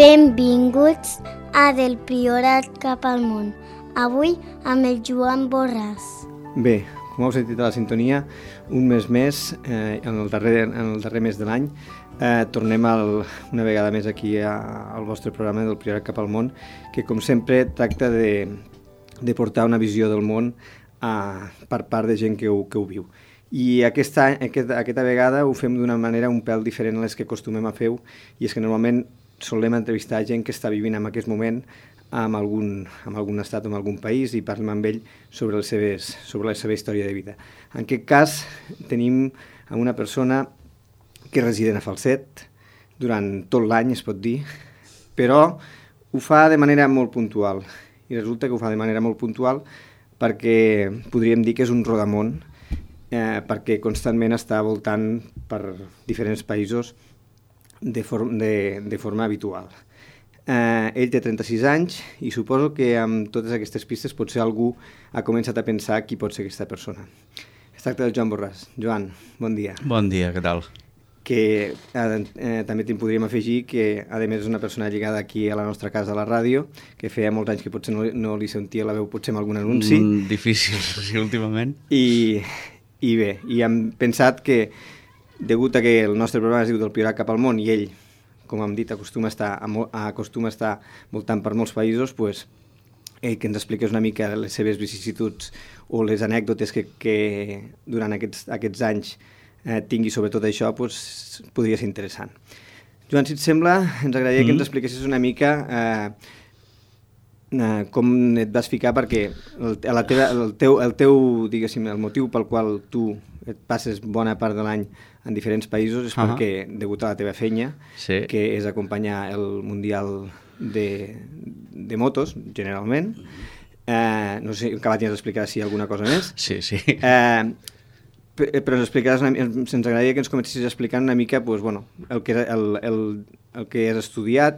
Benvinguts a Del Priorat cap al món. Avui amb el Joan Borràs. Bé, com heu sentit a la sintonia, un mes més, en el darrer mes de l'any, tornem una vegada més aquí al vostre programa del Priorat cap al món, que com sempre tracta de portar una visió del món per part de gent que ho viu. I aquesta vegada ho fem d'una manera un pèl diferent a les que acostumem a fer, i és que normalment solem entrevistar gent que està vivint en aquest moment en algun estat o en algun país i parlem amb ell sobre la seva història de vida. En aquest cas tenim una persona que és resident a Falset durant tot l'any, es pot dir, però ho fa de manera molt puntual. I resulta que ho fa de manera molt puntual perquè podríem dir que és un rodamón, perquè constantment està voltant per diferents països de forma habitual. Ell té 36 anys i suposo que amb totes aquestes pistes potser algú ha començat a pensar qui pot ser aquesta persona. Es tracta del Joan Borràs. Joan, bon dia. Bon dia, què tal? Que també te'n podríem afegir que a més és una persona lligada aquí a la nostra casa a la ràdio, que feia molts anys que potser no li sentia la veu potser en algun anunci. Difícil, sí, últimament. I bé, i hem pensat que degut a que el nostre programa es diu Del Priorat cap al món i ell, com hem dit, acostuma a estar voltant per molts països, pues, que ens expliqués una mica les seves vicissituds o les anècdotes que durant aquests anys tingui sobre tot això, pues, podria ser interessant. Joan, si et sembla, ens agradaria que ens expliquessis una mica com et vas ficar, perquè el motiu pel qual tu et passes bona part de l'any en diferents països és perquè, degut a la teva feina, sí, que és acompanyar el Mundial de motos, generalment. No sé, que tens d'explicar si hi ha alguna cosa més. Sí, sí. Però ens agradaria que ens comencessis explicant una mica pues, bueno, el que has estudiat,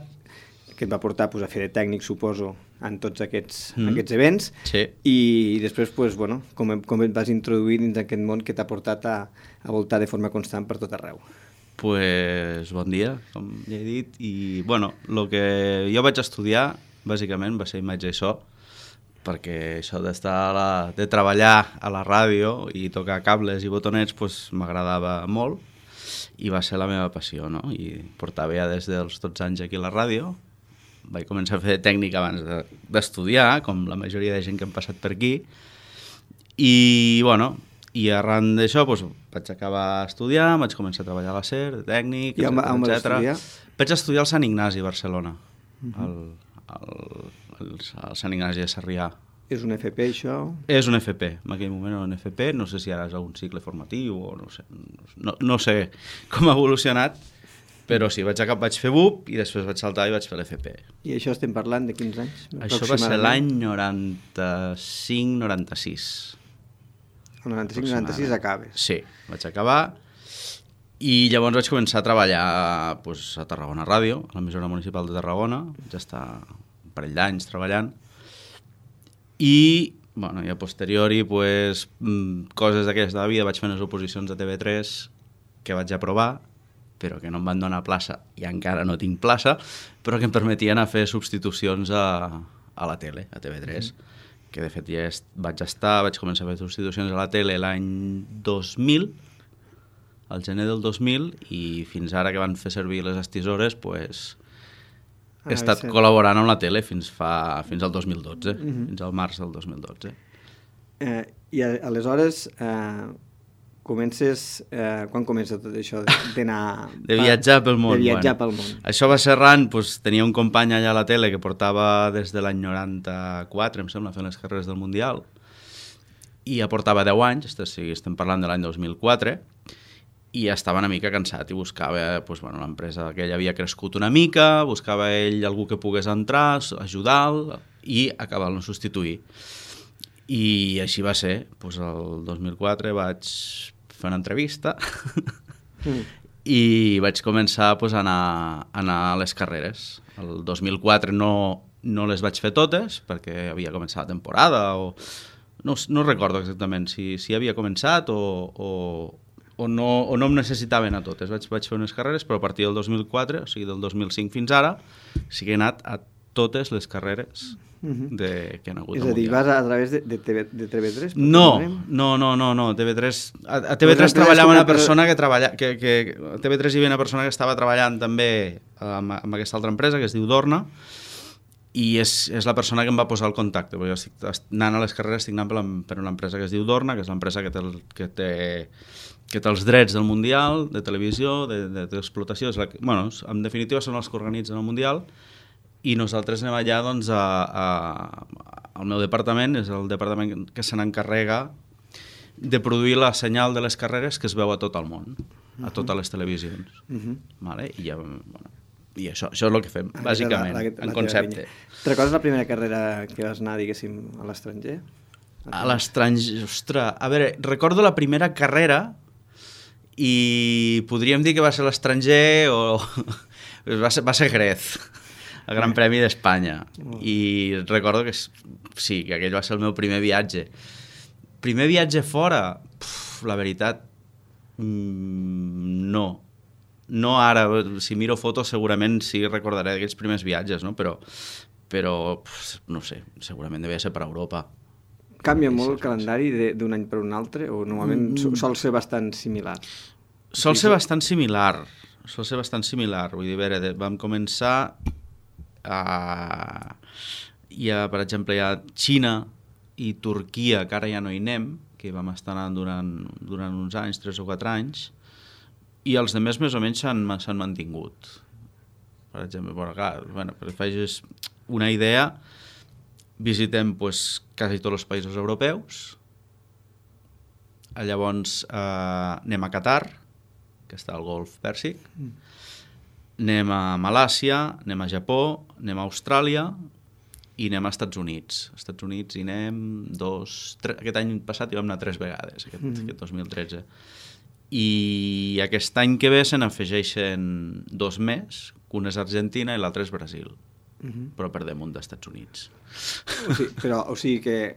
que et va portar pues, a fer de tècnic, suposo, en tots aquests events, sí. I després pues, bueno, com et vas introduir dins d'aquest món que t'ha portat a voltar de forma constant per tot arreu. Pues bon dia, com ja he dit, i bueno, el que jo vaig estudiar bàsicament va ser imatge i so, perquè això de treballar a la ràdio i tocar cables i botonets pues, m'agradava molt i va ser la meva passió, no? I portava ja des dels 12 anys aquí a la ràdio. Vaig començar a fer tècnic abans d'estudiar, com la majoria de gent que hem passat per aquí, i bueno, i arran d'això doncs, vaig acabar estudiant, vaig començar a treballar a la SER, de tècnic, I on vas estudiar? Vaig estudiar al Sant Ignasi, a Barcelona, al Sant Ignasi de Sarrià. És un FP, això? És un FP, en aquell moment era un FP, no sé si ara és un cicle formatiu o no sé com ha evolucionat, però sí, vaig fer BUP i després vaig saltar i vaig fer l'FP. I això estem parlant de quins anys? Això va ser l'any 95-96. El 95-96 acabes? Sí, vaig acabar i llavors vaig començar a treballar pues, a Tarragona Ràdio, a l'emissora municipal de Tarragona, vaig estar un parell d'anys treballant i, bueno, i a posteriori pues, coses d'aquesta de la vida, vaig fer unes oposicions a TV3 que vaig aprovar, però que no em van donar plaça i encara no tinc plaça, però que em permetien a fer substitucions a la tele, a TV3, que de fet ja vaig començar a fer substitucions a la tele l'any 2000, al gener del 2000, i fins ara que van fer servir les estisores, pues, he estat col·laborant amb la tele fins al 2012, fins al març del 2012. I aleshores... quan comença tot això d'anar... De viatjar pel món. Pel món. Això va ser arran, doncs, tenia un company allà a la tele que portava des de l'any 94, em sembla, fent les carreres del Mundial, i ja portava 10 anys, estem parlant de l'any 2004, i estava una mica cansat i buscava, doncs, bueno, l'empresa que ell havia crescut una mica, buscava ell algú que pogués entrar, ajudar-lo i acabar-lo substituir. I així va ser, doncs el 2004 vaig fer una entrevista i vaig començar doncs, a anar a les carreres. El 2004 no les vaig fer totes perquè havia començat la temporada o no recordo exactament si havia començat o o no em necessitaven a totes. Vaig fer unes carreres, però a partir del 2004, o sigui, del 2005 fins ara, sí que he anat a totes les carreres que han hagut. És a dir, vas a través de TV3? No, TV3... A TV3 treballava una persona que treballa... A TV3 hi havia una persona que estava treballant també amb aquesta altra empresa, que es diu Dorna, i és la persona que em va posar el contacte, perquè jo estic anant a les carreres, estic anant per una empresa que es diu Dorna, que és l'empresa que té els drets del Mundial, de televisió, d'explotació, bueno, en definitiva són els que organitzen el Mundial, i nosaltres anem allà, doncs, el meu departament és el departament que se n'encarrega de produir la senyal de les carreres que es veu a tot el món, a totes les televisions. Vale? I ja, bueno, i això és el que fem, bàsicament, en concepte. Recordes la primera carrera que vas anar, diguéssim, a l'estranger? A l'estranger, ostres, a veure, recordo la primera carrera i podríem dir que va ser a l'estranger o va ser Jerez, el Gran Premi d'Espanya. I recordo que sí, que aquell va ser el meu primer viatge. Primer viatge fora? La veritat, no. No ara, si miro fotos segurament sí recordaré d'aquells primers viatges, no? Però no sé, segurament devia ser per Europa. Canvia molt el calendari d'un any per un altre o normalment sol ser bastant similar? Sol ser bastant similar, vull dir, a veure, vam començar per exemple, hi ha Xina i Turquia, que ara ja no hi anem, que vam estar anant durant uns anys, 3 o 4 anys, i els demés més o menys s'han mantingut. Per exemple, per fer una idea, visitem quasi tots els països europeus, llavors anem a Qatar, que està al Golf Pèrsic, anem a Malàsia, anem a Japó, anem a Austràlia i anem als Estats Units. Als Estats Units hi anem aquest any passat hi vam anar 3 vegades, aquest 2013. I aquest any que ve se n'afegeixen 2 més, un és Argentina i l'altre és Brasil. Però per damunt dels Estats Units. O sigui que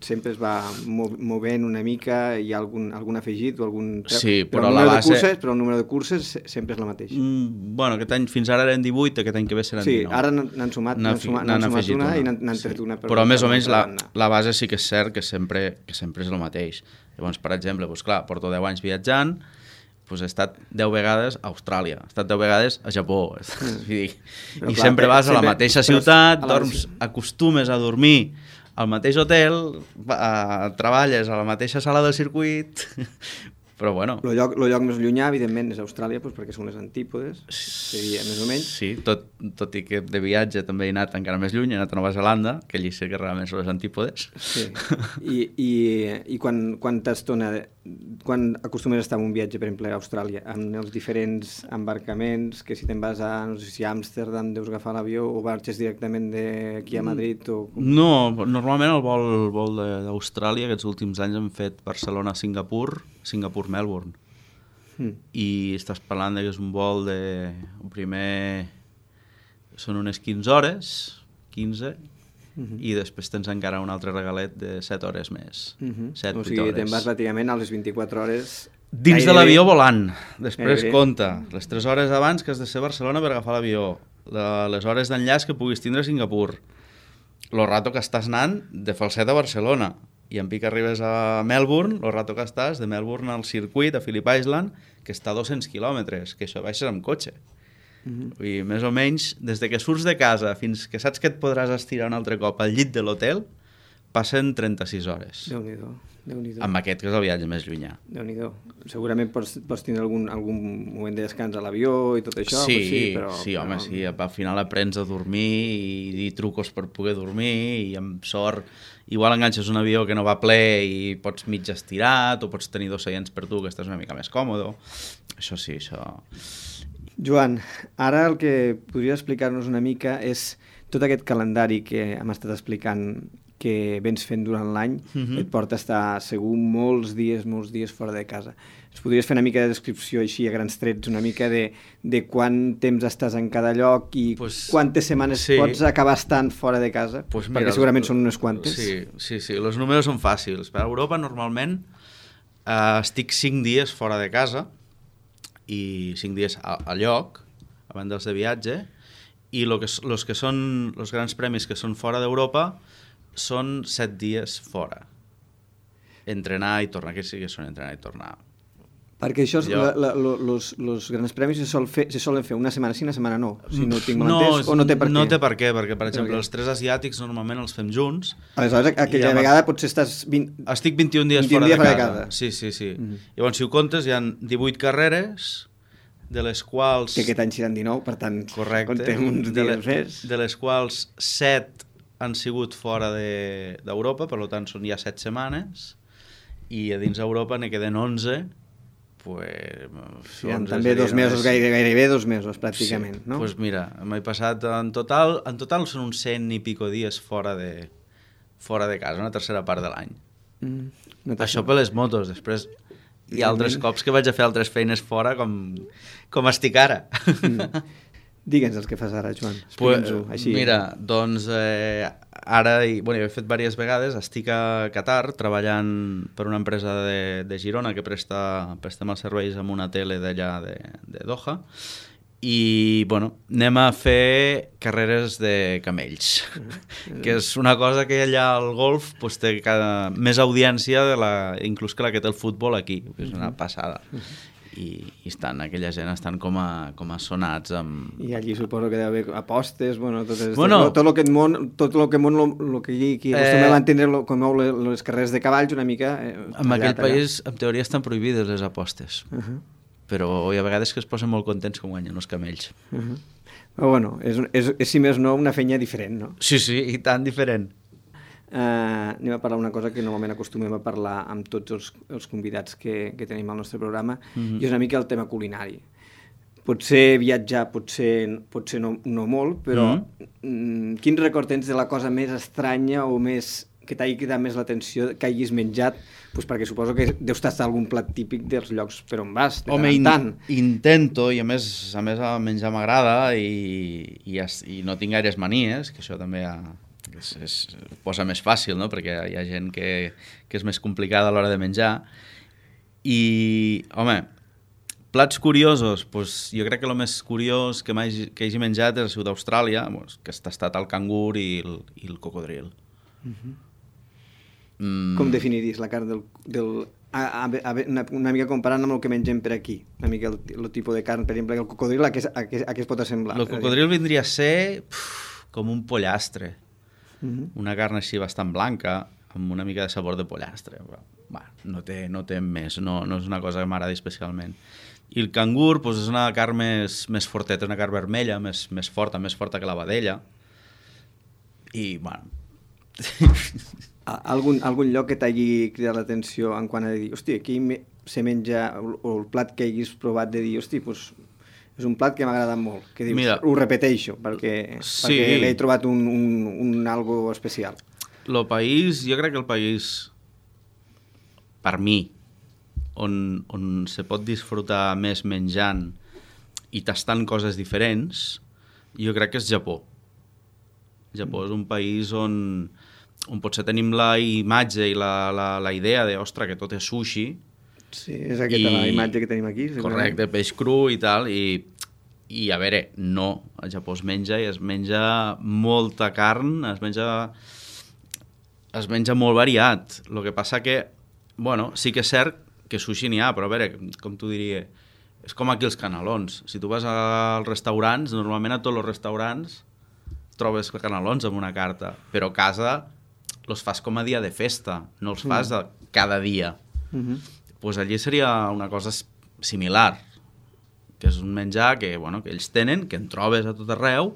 sempre es va movent una mica, hi ha algun afegit o algun... Sí, però la base... Però el número de curses sempre és la mateixa. Bueno, aquest any fins ara eren 18, aquest any que ve seran 19. Sí, ara n'han sumat una i n'han tret una. Però més o menys la base sí que és cert que sempre és el mateix. Llavors, per exemple, clar, porto 10 anys viatjant, he estat 10 vegades a Austràlia, he estat 10 vegades a Japó. I sempre vas a la mateixa ciutat, acostumes a dormir al mateix hotel, treballes a la mateixa sala del circuit, però bueno... El lloc més llunyà, evidentment, és Austràlia, perquè són les antípodes, seria més o menys. Sí, tot i que de viatge també he anat encara més lluny, he anat a Nova Zelanda, que allí sé que realment són les antípodes. Sí, i quanta estona... Quan acostumes a estar en un viatge, per exemple, a Austràlia, amb els diferents embarcaments, que si te'n vas a, no sé si a Amsterdam deus agafar l'avió o marxes directament d'aquí a Madrid? No, normalment el vol d'Austràlia, aquests últims anys hem fet Barcelona-Singapur, Singapur-Melbourne. I estàs parlant que és un vol de... Primer són unes 15 hores, 15, i després tens encara un altre regalet de 7 hores més. 7-8 hores. O sigui, te'n vas pràcticament a les 24 hores... Dins de l'avió volant. Després compta les 3 hores abans que has de ser a Barcelona per agafar l'avió, les hores d'enllaç que puguis tindre a Singapur, el rato que estàs anant de Falset a Barcelona, i en pic arribes a Melbourne, el rato que estàs de Melbourne al circuit, a Phillip Island, que està a 200 quilòmetres, que això baixes amb cotxe. I més o menys, des de que surts de casa fins que saps que et podràs estirar un altre cop al llit de l'hotel, passen 36 hores. Déu-n'hi-do. Amb aquest, que és el viatge més llunyà. Déu-n'hi-do. Segurament pots tindre algun moment de descans a l'avió i tot això. Sí, home, sí. Al final aprens a dormir i trucos per poder dormir i amb sort igual enganxes un avió que no va ple i pots mig estirat o pots tenir 2 seients per tu que estàs una mica més còmode. Això sí, això... Joan, ara el que podries explicar-nos una mica és tot aquest calendari que hem estat explicant que vens fent durant l'any, et porta a estar segur molts dies fora de casa. Ens podries fer una mica de descripció així a grans trets, una mica de quant temps estàs en cada lloc i quantes setmanes pots acabar estant fora de casa? Perquè segurament són unes quantes. Sí, els números són fàcils. Per a Europa normalment Estic 5 dies fora de casa i 5 dies a lloc, a banda dels de viatge, i los que són els grans premis que són fora d'Europa són 7 dies fora. Entrenar i tornar, que sí que són entrenar i tornar. Perquè això, els grans premis se solen fer una setmana sí, una setmana no. Si no tinc mal entès, o no té per què? No té per què, perquè, per exemple, els 3 asiàtics normalment els fem junts. Aleshores, aquella vegada potser estàs... Estic 21 dies fora de casa. Sí. Llavors, si ho comptes, hi ha 18 carreres, de les quals... Que aquest any seran 19, per tant, correcte, contem uns dies més. De les quals 7 han sigut fora d'Europa, per tant, són ja 7 setmanes, i a dins d'Europa ne queden 11, sí, també 2 mesos, gairebé 2 mesos, pràcticament, sí, no? Doncs mira, m'he passat en total són uns 100 i pico dies fora de casa, una tercera part de l'any. Això per les motos, després hi ha altres cops que vaig a fer altres feines fora com estic ara. Digue'ns els que fas ara, Joan, explica'ns-ho així. Mira, doncs ara, jo he fet diverses vegades, estic a Qatar treballant per una empresa de Girona que prestem els serveis amb una tele d'allà de Doha, i anem a fer carreres de camells, que és una cosa que allà al golf té més audiència inclús que la que té el futbol aquí, és una passada. I aquella gent estan com a sonats amb... I allí suposo que deu haver apostes, tot el que aquí acostumem a entendre com mou les carreres de cavalls una mica... En aquell país, en teoria, estan prohibides les apostes. Però hi ha vegades que es posen molt contents quan guanyen els camells. Però és si més no una feina diferent, no? Sí, i tan diferent. Anem a parlar una cosa que normalment acostumem a parlar amb tots els convidats que tenim al nostre programa, i és una mica el tema culinari. Potser viatjar, potser no molt, però quin record tens de la cosa més estranya o més que t'hagi cridat més l'atenció, que hagis menjat, perquè suposo que deus tastar algun plat típic dels llocs per on vas, de tant en tant. Intento, i a més el menjar m'agrada i no tinc gaires manies, que això també es posa més fàcil, no? Perquè hi ha gent que és més complicada a l'hora de menjar. I, plats curiosos, jo crec que el més curiós que hagi menjat és a Ciutat d'Austràlia, que ha tastat el cangur i el cocodril. Com definiries la carn del una mica comparant amb el que mengem per aquí, una mica el tipus de carn, per exemple, el cocodril, a què es pot assemblar? El cocodril vindria a ser com un pollastre. Una carn així bastant blanca, amb una mica de sabor de pollastre. No té més, no és una cosa que m'agradi especialment. I el cangur és una carn més forteta, una carn vermella, més forta que la vedella. I, Algun lloc que t'hagi cridat l'atenció en quant a dir, aquí se menja, o el plat que hagis provat de dir, és un plat que m'ha agradat molt, que dius, ho repeteixo, perquè l'he trobat un algo especial. Jo crec que el país, per mi, on se pot disfrutar més menjant i tastant coses diferents, jo crec que és Japó. Japó és un país on potser tenim la imatge i la idea de, ostres, que tot és sushi. Sí, és aquesta la imatge que tenim aquí. Correcte, peix cru i tal, i a veure, no, al Japó es menja molta carn, es menja molt variat. El que passa que, sí que és cert que sushi n'hi ha, però a veure, com t'ho diria, és com aquí els canelons. Si tu vas als restaurants, normalment a tots els restaurants trobes canelons amb una carta, però a casa els fas com a dia de festa, no els fas cada dia. Doncs allí seria una cosa similar, que és un menjar que ells tenen, que en trobes a tot arreu,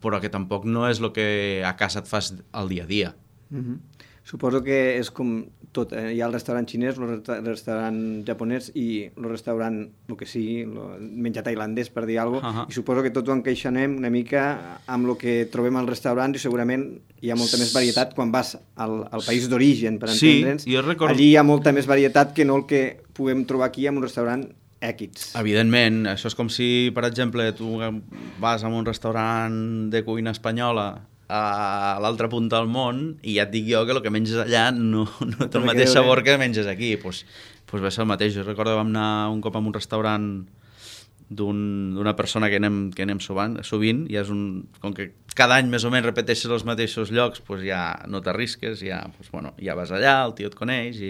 però que tampoc no és el que a casa et fas al dia a dia. Suposo que és com tot, hi ha el restaurant xinès, el restaurant japonès i el restaurant, el que sigui, el menjar tailandès, per dir alguna cosa, i suposo que tots ho encaixanem una mica amb el que trobem als restaurants i segurament hi ha molta més varietat quan vas al país d'origen, per entendre'ns. Allí hi ha molta més varietat que no el que puguem trobar aquí en un restaurant X. Evidentment, això és com si, per exemple, tu vas a un restaurant de cuina espanyola a l'altra punta del món i ja et dic jo que el que menges allà no té el mateix sabor que menges aquí. Pues va ser el mateix. Jo recordo que vam anar un cop a un restaurant d'una persona que anem sovint i és com que cada any més o menys repeteixes els mateixos llocs, pues ja no t'arrisques, ja vas allà, el tio et coneix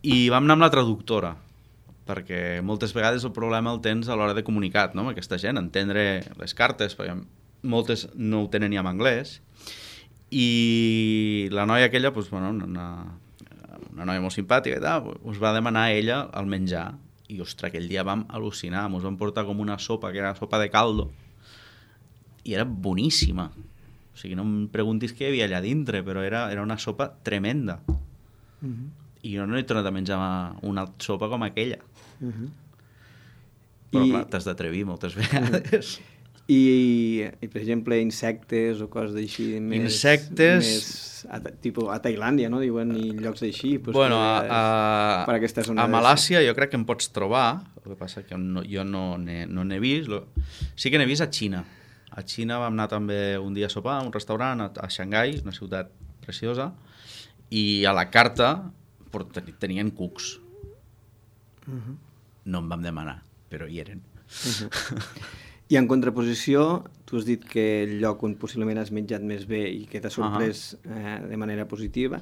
i vam anar amb la traductora, perquè moltes vegades el problema el tens a l'hora de comunicar, no? Amb aquesta gent, entendre les cartes, perquè moltes no ho tenen ni en anglès, i la noia aquella, una noia molt simpàtica i tal, us va demanar a ella el menjar, i ostres, aquell dia vam al·lucinar, ens van portar com una sopa, que era sopa de caldo, i era boníssima. O sigui, no em preguntis què hi havia allà dintre, però era una sopa tremenda. I jo no he tornat a menjar una sopa com aquella. Però clar, t'has d'atrevir moltes vegades. I per exemple, insectes o coses d'així tipus a Tailàndia, no? Diuen, i llocs d'així. Bueno, a Malàsia jo crec que em pots trobar, el que passa que jo no n'he vist. Sí que n'he vist a Xina. A Xina vam anar també un dia a sopar a un restaurant a Xangai, una ciutat preciosa, i a la carta tenien cucs. No em vam demanar, però hi eren. I en contraposició, tu has dit que el lloc on possiblement has menjat més bé i que t'ha sorprès de manera positiva,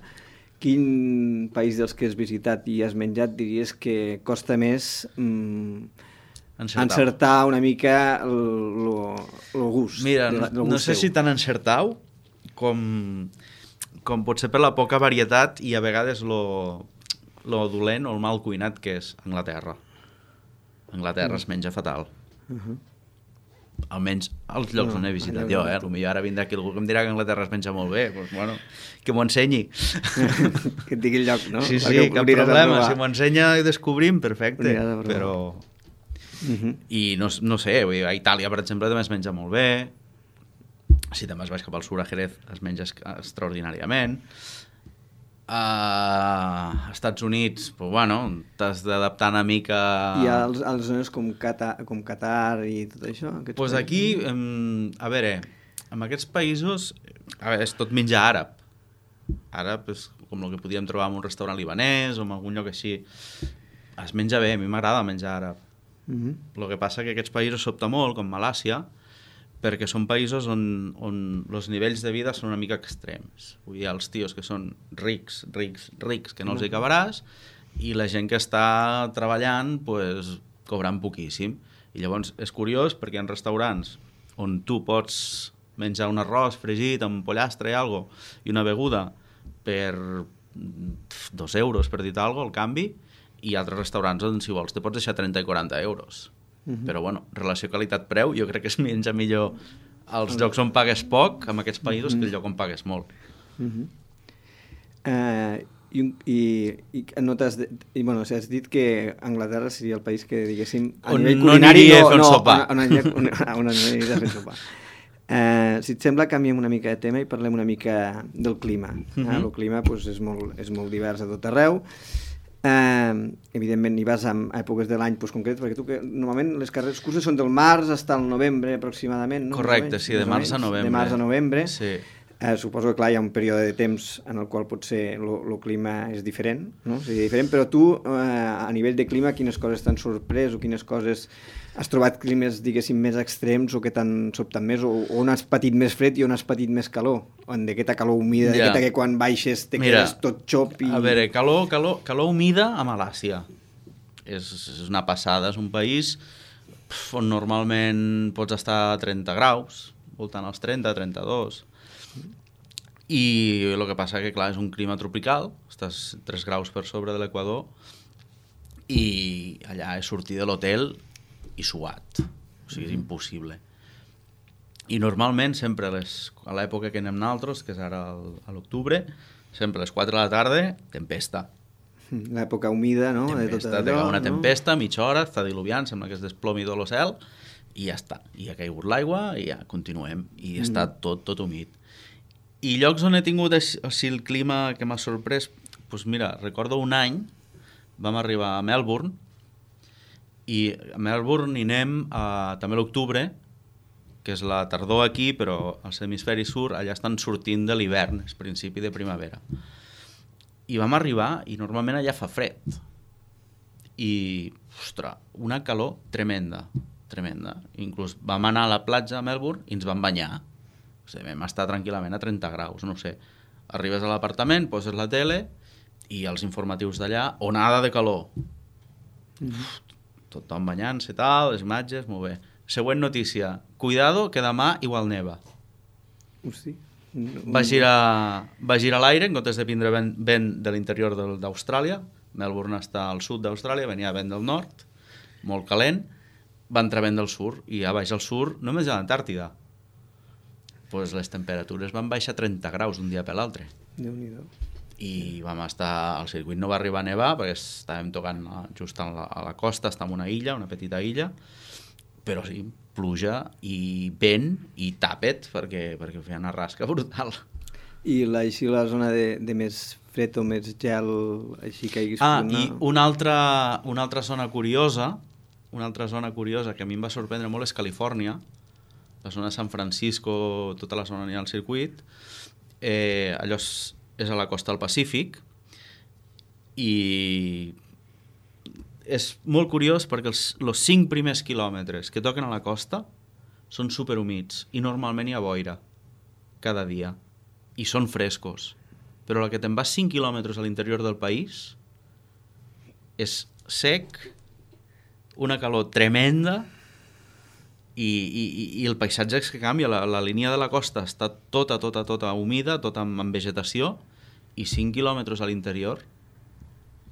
quin país dels que has visitat i has menjat diries que costa més encertar una mica el gust? Mira, no sé si tan encertau com pot ser per la poca varietat i a vegades lo dolent o el mal cuinat que és Anglaterra. Anglaterra es menja fatal. Almenys als llocs on he visitat jo, potser ara vindrà aquí algú que em dirà que Anglaterra es menja molt bé, doncs bueno, que m'ho ensenyi. Que et digui el lloc, no? Sí, cap problema, si m'ho ensenya i descobrim, perfecte, però... I no sé, a Itàlia, per exemple, també es menja molt bé, si també es vas cap al sud, a Jerez, es menja extraordinàriament. A Estats Units, pues bueno, t'has d'adaptar una mica... I a les zones com Qatar i tot això? Pues aquí, a veure, en aquests països és tot menjar àrab. Àrab és com el que podíem trobar en un restaurant libanès o en algun lloc així. Es menja bé, a mi m'agrada menjar àrab. El que passa que aquests països sobta molt, com Malàsia, perquè són països on els nivells de vida són una mica extrems. Hi ha els tios que són rics, que no els hi acabaràs, i la gent que està treballant, pues, cobrant poquíssim. I llavors és curiós perquè hi ha restaurants on tu pots menjar un arròs fregit amb pollastre i algo, i una beguda per 2 euros, per dir-te alguna cosa, al canvi, i altres restaurants on, si vols, te pots deixar 30 i 40 euros. Però, bueno, relació qualitat-preu, jo crec que es menja millor als llocs on pagues poc, en aquests països, que el lloc on pagues molt. I notes... Bueno, has dit que Anglaterra seria el país que, diguéssim, a on nivell culinari... No aniria a fer un sopar. On aniria a fer un sopar. Si et sembla, canviem una mica de tema i parlem una mica del clima. El clima és molt divers a tot arreu. Evidentment hi vas en èpoques de l'any concrets, perquè tu que normalment les carreres curses són del març fins al novembre aproximadament, no? Correcte, sí, de març a novembre. De març a novembre. Sí. Suposo que clar, hi ha un període de temps en el qual potser el clima és diferent, no? Seria diferent, però tu a nivell de clima quines coses t'han sorprès o quines coses has trobat climes, diguéssim, més extrems o que t'han sobtat més, o on has patit més fred i on has patit més calor, on d'aquesta calor humida, d'aquesta que quan baixes te quedes tot xop i... A veure, calor humida a Malàsia és una passada, és un país on normalment pots estar a 30 graus, voltant als 30, 32, i el que passa que clar, és un clima tropical, estàs 3 graus per sobre de l'equador i allà és sortir de l'hotel i suat, o sigui, és impossible. I normalment sempre a l'època que anem nosaltres, que és ara a l'octubre, sempre a les 4 de la tarda, tempesta. L'època humida, no? Tempesta, té una tempesta, mitja hora, està diluviant, sembla que es desplomi tot el cel, i ja està. I ha caigut l'aigua i ja continuem. I està tot humit. I llocs on he tingut així el clima que m'ha sorprès, doncs mira, recordo un any, vam arribar a Melbourne, i a Melbourne hi anem també a l'octubre, que és la tardor aquí, però al hemisferi sud allà estan sortint de l'hivern, és principi de primavera. I vam arribar i normalment allà fa fred. I, ostres, una calor tremenda. Inclús vam anar a la platja a Melbourne i ens vam banyar. O sigui, vam estar tranquil·lament a 30 graus, no sé. Arribes a l'apartament, poses la tele i els informatius d'allà, onada de calor. Tothom banyant-se, tal, les imatges, molt bé. Següent notícia. Cuidado, que demà igual neva. Hosti. Va girar l'aire en comptes de prendre vent de l'interior d'Austràlia. Melbourne està al sud d'Austràlia, venia vent del nord, molt calent, va entrar vent del sud, i a baix al sud només a l'Antàrtida. Pues les temperatures van baixar 30 graus d'un dia per l'altre. Déu-n'hi-do. I vam estar... El circuit no va arribar a nevar perquè estàvem tocant just a la costa, està en una illa, una petita illa, però sí, pluja i vent i tàpet perquè feia una rasca brutal. I així la zona de més fred o més gel, així que hagués... I una altra zona curiosa, que a mi em va sorprendre molt és Califòrnia, la zona de San Francisco, tota la zona on hi ha el circuit, allò és a la costa del Pacífic, i és molt curiós perquè els 5 primers quilòmetres que toquen a la costa són superhumits i normalment hi ha boira cada dia i són frescos, però la que te'n vas 5 quilòmetres a l'interior del país és sec, una calor tremenda i el paisatge és que canvia, la línia de la costa està tota humida, tota amb vegetació, i 5 quilòmetres a l'interior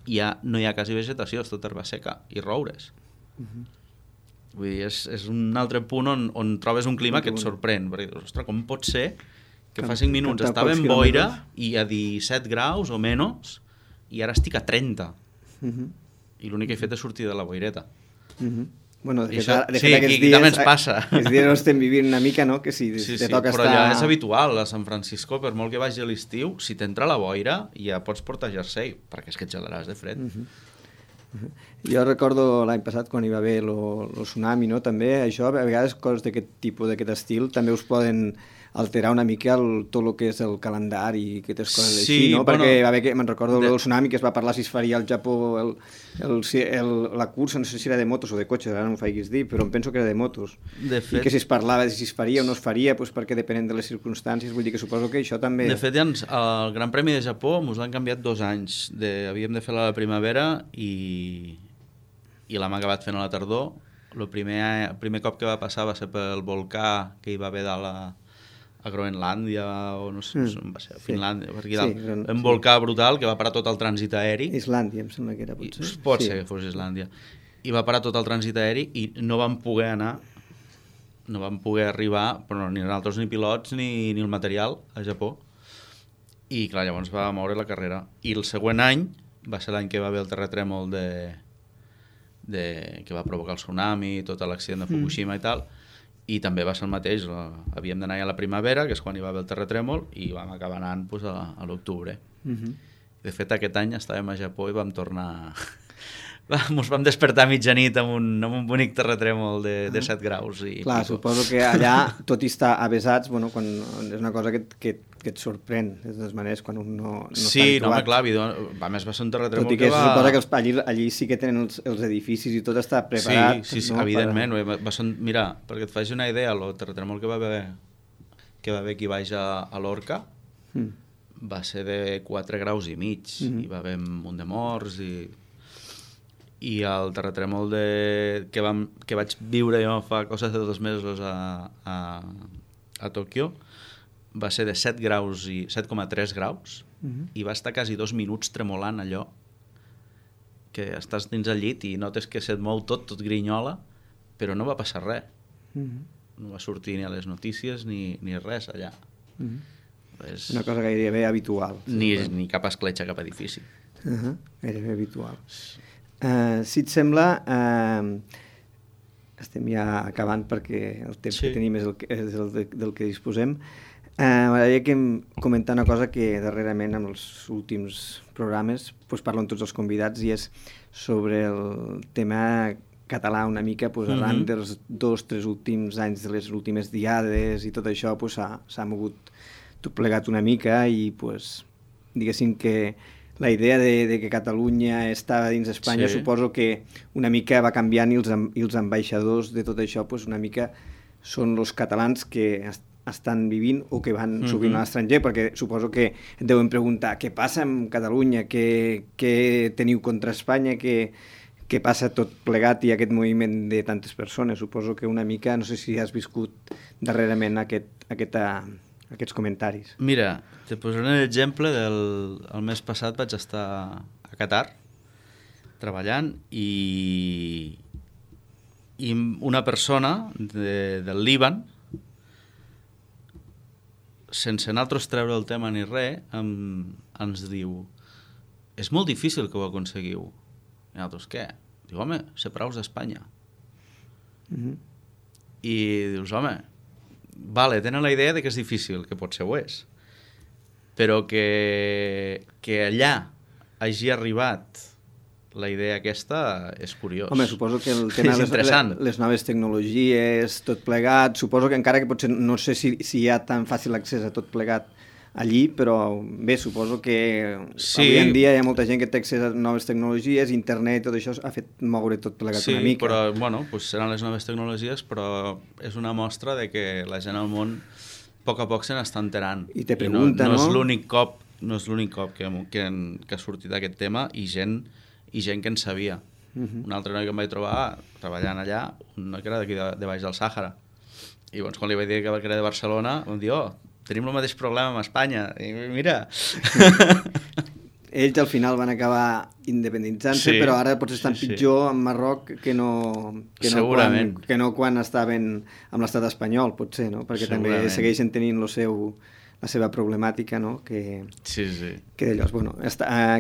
no hi ha quasi vegetació, és tot herba seca i roures. Vull dir, és un altre punt on trobes un clima que et sorprèn, perquè, ostres, com pot ser que fa 5 minuts estava en boira i a 17 graus o menys i ara estic a 30 i l'únic que he fet és sortir de la boireta. Bueno, de fet sí, aquests dies, també ens passa. Aquests dies no estem vivint una mica, no? Que si te toca però estar... ja és habitual a San Francisco, per molt que vagi a l'estiu, si t'entra la boira ja pots portar jersei, perquè és que et gelaràs de fred. Jo recordo l'any passat quan hi va haver el tsunami, no? També això, a vegades coses d'aquest tipus, d'aquest estil, també us poden alterar una mica tot el que és el calendari i aquestes coses així, no? Perquè va haver, me'n recordo del tsunami, que es va parlar si es faria al Japó la cursa, no sé si era de motos o de cotxes, ara no m'ho faiguis dir, però em penso que era de motos. De fet, i que si es parlava de si es faria o no es faria, doncs perquè depenent de les circumstàncies, vull dir que suposo que això també... De fet, el Gran Premi de Japó ens l'han canviat 2 anys. Havíem de fer-la a la primavera i l'hem acabat fent a la tardor. El primer cop que va passar va ser pel volcà que hi va haver a Groenlàndia o no sé, on va ser, a Finlàndia, per aquí dalt. Un volcà brutal que va parar tot el trànsit aeri. Islàndia, em sembla que era, potser. Pot ser que fos Islàndia. I va parar tot el trànsit aeri i no vam poder anar, no vam poder arribar, però ni nosaltres ni pilots ni el material a Japó. I clar, llavors va moure la carrera. I el següent any va ser l'any que va haver el terratrèmol que va provocar el tsunami, tot l'accident de Fukushima i tal, i també va ser el mateix, havíem d'anar a la primavera, que és quan hi va haver el terratrèmol, i vam acabar anant a l'octubre. De fet, aquest any estàvem a Japó i vam tornar... Ens vam despertar a mitjanit amb un bonic terratrèmol de 7 graus. Clar, suposo que allà, tot i estar avesats, bueno, quan és una cosa que et sorprèn, de totes maneres, quan un no està habituat. No, home, clar, a més va ser un terratrèmol tot i que suposa que allí sí que tenen els edificis i tot està preparat. Sí, evidentment. Mira, perquè et faci una idea, el terratrèmol que va haver aquí baix a l'Orca va ser de 4 graus i mig, i va haver un munt de morts i el terratrèmol que vaig viure jo fa cosa de 2 mesos a Tòquio va ser de 7,3 graus i va estar quasi 2 minuts tremolant allò, que estàs dins el llit i notes que se't mou tot grinyola, però no va passar res. No va sortir ni a les notícies ni res allà. És una cosa gairebé habitual. Ni cap escletxa, cap edifici. Gairebé habitual. Si et sembla, estem ja acabant perquè el temps que tenim és del que disposem. M'agradaria comentar una cosa que darrerament en els últims programes parlen tots els convidats, i és sobre el tema català una mica, arran dels 2-3 últims anys de les últimes diades i tot això, s'ha mogut tot plegat una mica i, diguéssim que la idea de que Catalunya estava dins d'Espanya, suposo que una mica va canviant i els ambaixadors de tot això una mica són els catalans que estan vivint o que van sovint a l'estranger, perquè suposo que et deuen preguntar què passa amb Catalunya, què teniu contra Espanya, què passa tot plegat i aquest moviment de tantes persones. Suposo que una mica, no sé si has viscut darrerament aquests comentaris. Mira, te posaré un exemple el mes passat vaig estar a Qatar treballant i una persona del Líban, sense nosaltres treure el tema ni res, ens diu: és molt difícil que ho aconseguiu. I nosaltres, què? Diu, home, ser praus d'Espanya. I dius, home, vale, tenen la idea de que és difícil, que potser ho és, però que allà hagi arribat la idea aquesta és curiós. Home, suposo que el tema de les noves tecnologies, tot plegat, suposo que encara que potser no sé si hi ha tan fàcil accés a tot plegat allí, però bé, suposo que avui en dia hi ha molta gent que té accés a noves tecnologies, internet, tot això ha fet moure tot plegat una mica. Sí, però bueno, seran les noves tecnologies, però és una mostra de que la gent al món a poc se n'està enterant. I te pregunta, no? No és l'únic cop que ha sortit aquest tema i gent que en sabia. Un altre noi que em vaig trobar treballant allà, un noi que era d'aquí de baix del Sàhara. I llavors quan li vaig dir que era de Barcelona, em diu, tenim el mateix problema amb Espanya. I mira... Ells al final van acabar independitzant-se, però ara potser estan pitjor en Marroc que no quan estaven amb l'estat espanyol, potser, no? Perquè també segueixen tenint la seva problemàtica, no? Que d'allò, bueno,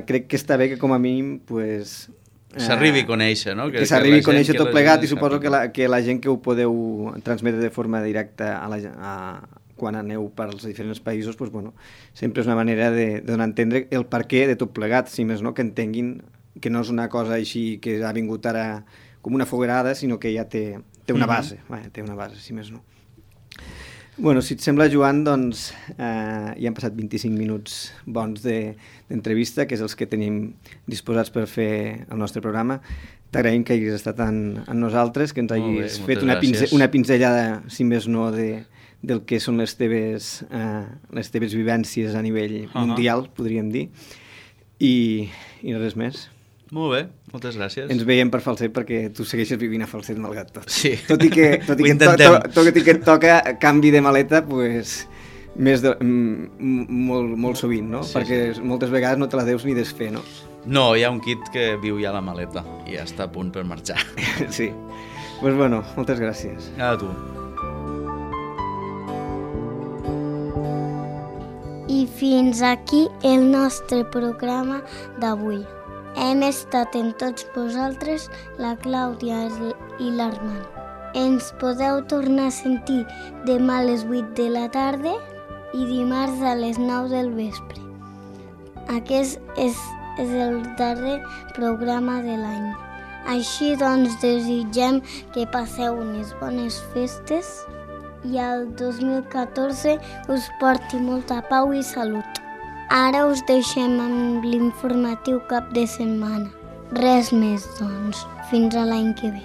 crec que està bé que com a mínim s'arribi a conèixer, no? Que s'arribi a conèixer tot plegat i suposo que la gent que ho podeu transmetre de forma directa quan aneu per als diferents països, sempre és una manera de donar a entendre el perquè de tot plegat, si més no, que entenguin que no és una cosa així que ha vingut ara com una foguerada, sinó que ja té una base, té una base, si més no. Bueno, si et sembla, Joan, doncs ja han passat 25 minuts bons d'entrevista, que és els que tenim disposats per fer el nostre programa. T'agraïm que hagis estat amb nosaltres, que ens hagis fet una pinzellada, si més no, del que són les teves vivències a nivell mundial, podríem dir, i res més. Molt bé, moltes gràcies. Ens veiem per Falset perquè tu segueixes vivint a Falset malgrat tot. Sí, tot i que et toca canvi de maleta, molt sovint, no? Perquè moltes vegades no te la deus ni desfer, no? No, hi ha un kit que viu ja a la maleta i ja està a punt per marxar. Sí. Doncs bueno, moltes gràcies. A tu. I fins aquí el nostre programa d'avui. Hem estat amb tots vosaltres, la Clàudia i l'Armand. Ens podeu tornar a sentir demà a les 8 de la tarda i dimarts a les 9 del vespre. Aquest és el darrer programa de l'any. Així doncs desitgem que passeu unes bones festes i el 2014 us porti molta pau i salut. Ara us deixem amb l'informatiu cap de setmana. Res més, doncs. Fins a l'any que ve.